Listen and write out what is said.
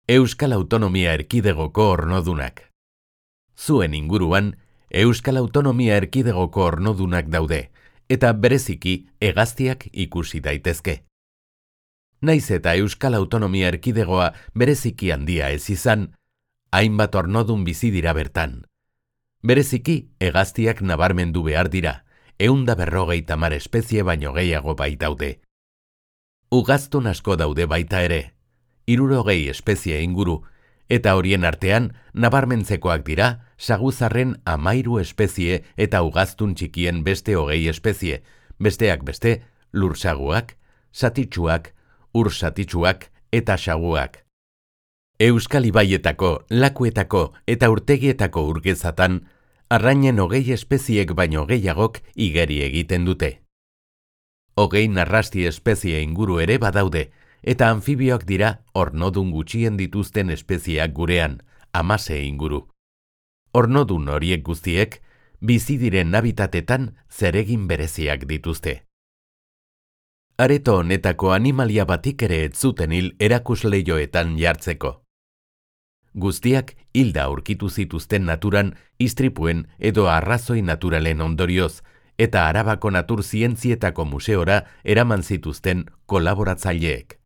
Euskal Autonomia Erkidegoko ornodunak. Zuen inguruan, Euskal Autonomia Erkidegoko ornodunak daude, eta bereziki hegaztiak ikusi daitezke. Naiz eta Euskal Autonomia Erkidegoa bereziki handia ez izan, hainbat ornodun bizi dira bertan. Bereziki hegaztiak nabarmendu behar dira, 150 espezie baino gehiago baitaude. Ugaztun asko daude baita ere, 60 espezie inguru, eta horien artean nabarmentzekoak dira saguzarren 13 espezie eta ugaztun txikien beste 20 espezie, besteak beste lursaguak, satitsuak, ursatitsuak eta saguak. Euskal ibaietako, lakuetako eta urtegietako urgezatan, arrainen 20 espeziek baino gehiagok igeri egiten dute. 20 narrasti espezie inguru ere badaude, eta anfibioak dira ornodun gutxien dituzten espezieak gurean, 16 inguru. Ornodun horiek guztiek, bizi diren habitatetan zeregin bereziak dituzte. Areto honetako animalia batik ere ez zuten hil erakusleioetan jartzeko. Guztiak hilda aurkitu zituzten naturan, istripuen edo arrazoi naturalen ondorioz, eta Arabako Natur Zientzietako Museora eraman zituzten kolaboratzaileek.